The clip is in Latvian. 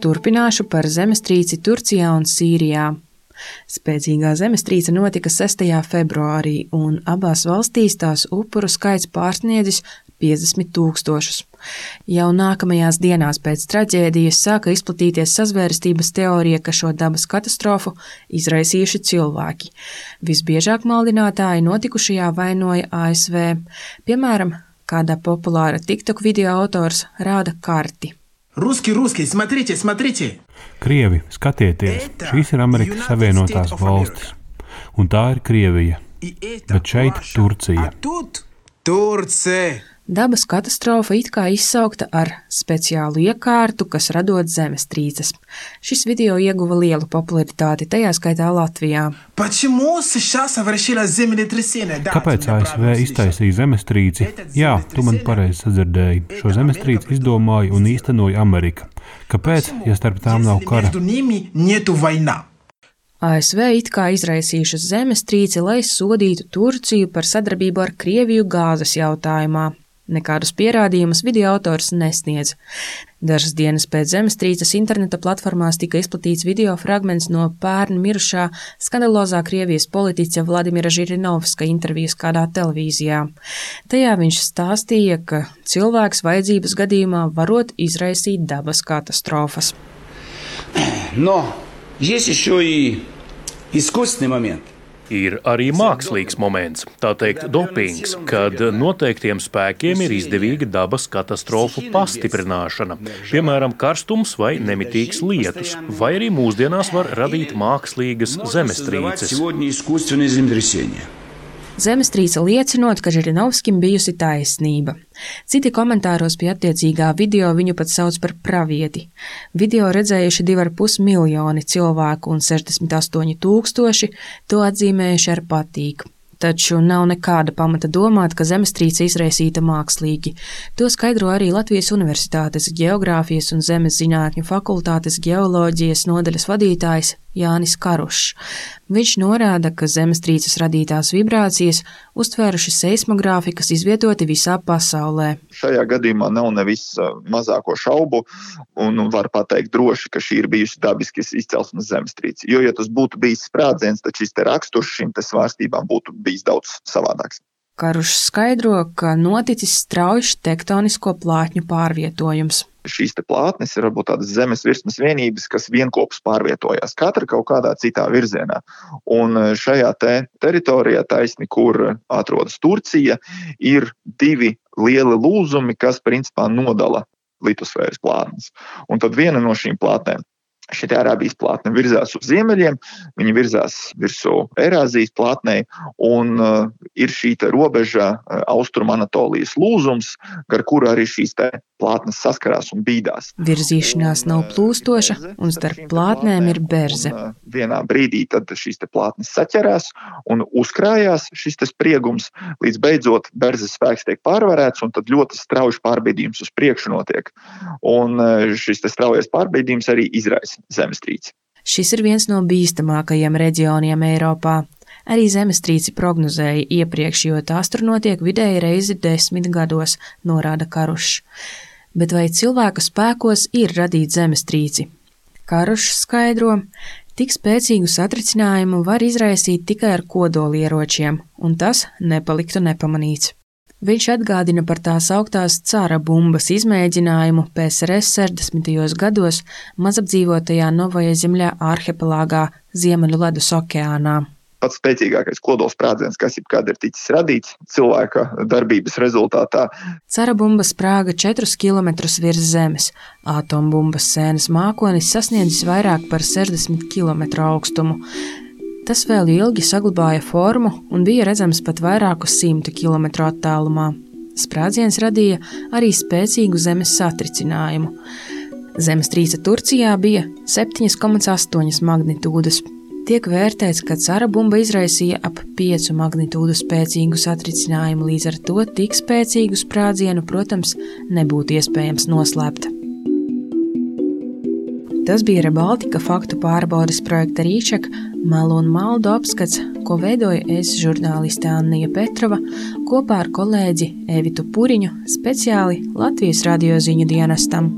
Turpināšu par zemestrīci Turcijā un Sīrijā. Spēcīgā zemestrīce notika 6. februārī, un abās valstīs tās upuru skaits pārsniedzis 50 000. Jau nākamajās dienās pēc traģēdijas sāka izplatīties sazvērstības teorija, ka šo dabas katastrofu izraisījuši cilvēki. Visbiežāk maldinātāji notikušajā vainoja ASV. Piemēram, kāda populāra TikTok video autors rāda karti. Ruski, смотрите! Krievi, skatieties, šīs ir Amerikas Savienotās valstis, un tā ir Krievija, bet šeit Turcija. Dabas katastrofa it kā izsaukta ar speciālu iekārtu, kas radot zemestrīces. Šis video ieguva lielu popularitāti, tajā skaitā Latvijā. Kāpēc ASV iztaisīja zemestrīci? Jā, tu man pareizi sadzirdēji. Šo zemestrīci izdomāja un īstenoja Amerika. Kāpēc, ja starp tām nav kara? ASV it kā izraisījušas zemestrīci, lai sodītu Turciju par sadarbību ar Krieviju gāzes jautājumā. Nekādus pierādījumus video autors nesniedz. Dažas dienas pēc zemestrīces interneta platformās tika izplatīts video fragments no pērn mirušā skandalozā Krievijas politiķa Vladimira Žirinovska intervijas kādā televīzijā. Tajā viņš stāstīja, ka cilvēks vajadzības gadījumā varot izraisīt dabas katastrofas. Но есть еще и искусственный момент. Ir arī mākslīgs moments, tā teikt dopings, kad noteiktiem spēkiem ir izdevīga dabas katastrofu pastiprināšana, piemēram, karstums vai nemitīgs lietus, vai arī mūsdienās var radīt mākslīgas zemestrīces. Zemestrīce liecinot, ka Žirinovskim bijusi taisnība. Citi komentāros pie attiecīgā video viņu pat sauc par pravieti. Video redzējuši 2,5 miljoni cilvēku un 68 000 to atzīmējuši ar patīk. Taču nav nekāda pamata domāt, ka zemestrīce izraisīta mākslīgi. To skaidro arī Latvijas Universitātes Geogrāfijas un zemes zinātņu fakultātes geoloģijas nodaļas vadītājs Jānis Karušs. Viņš norāda, ka zemestrīces radītās vibrācijas uztvēruši seismogrāfi, kas izvietoti visā pasaulē. Šajā gadījumā nav nevis mazāko šaubu un var pateikt droši, ka šī ir bijusi dabiskas izcelsmes zemestrīce. Jo, ja tas būtu bijis sprādziens, tad šis te raksturs šīm te svārstībām būtu bijis daudz savādāks. Karušs skaidro, ka noticis straujš tektonisko plātņu pārvietojums. Šīs te plātnes ir varbūt tādas zemes virsmas vienības, kas vienkopus pārvietojās, katra kaut kādā citā virzienā. Un šajā teritorijā taisni, kur atrodas Turcija, ir 2 lieli lūzumi, kas principā nodala litosfēras plātnes. Un tad viena no šīm plātnēm, šī Arābijas plātne virzās uz ziemeļiem, viņa virzās virsū Eirāzijas plātnei, un ir šī te robeža Austrumanatolijas lūzums, gar kuru arī šīs te plātnes saskarās un bīdās. Virzīšanās nav plūstoša, un starp plātnēm ir berze. Vienā brīdī tad šīs te plātnes saķerās un uzkrājās šis te spriegums, līdz beidzot berzes spēks tiek pārvarēts, un tad ļoti strauji pārbīdījums uz priekšu notiek. Un šis te straujais pārbīdījums arī izraisa zemestrīci. Šis ir viens no bīstamākajiem reģioniem Eiropā. Arī zemestrīci prognozēja iepriekš, jo tās tur notiek vidēji reizi 10 gados, norāda Karušs. Bet vai cilvēka spēkos ir radīt zemestrīci? Karušs skaidro, tik spēcīgu satricinājumu var izraisīt tikai ar kodolieročiem, un tas nepaliktu nepamanīts. Viņš atgādina par tās augtās cara bumbas izmēģinājumu PSRS 60. gados mazapdzīvotajā Novaja Zemļā arhipelāgā Ziemeļu ledus okeānā. Pats spēcīgākais kodolsprādziens, kas jebkad ir ticis radīts cilvēka darbības rezultātā. Cara bumba sprāga 4 kilometrus virs zemes. Atombumbas sēnes mākonis sasniedzis vairāk par 60 kilometru augstumu. Tas vēl ilgi saglabāja formu un bija redzams pat vairāku 100 kilometru attālumā. Sprādziens radīja arī spēcīgu zemes satricinājumu. Zemestrīce Turcijā bija 7,8 magnitūdas. Tiek vērtēts, ka cara bumba izraisīja ap 5 magnitūdu spēcīgu satricinājumu, līdz ar to tik spēcīgu sprādzienu, protams, nebūtu iespējams noslēpt. Tas bija Rebaltika faktu pārbaudes projekta Rīčak, melu un maldu apskats, ko veidoja es žurnāliste Annija Petrova kopā ar kolēģi Evitu Puriņu speciāli Latvijas radio ziņu dienestam.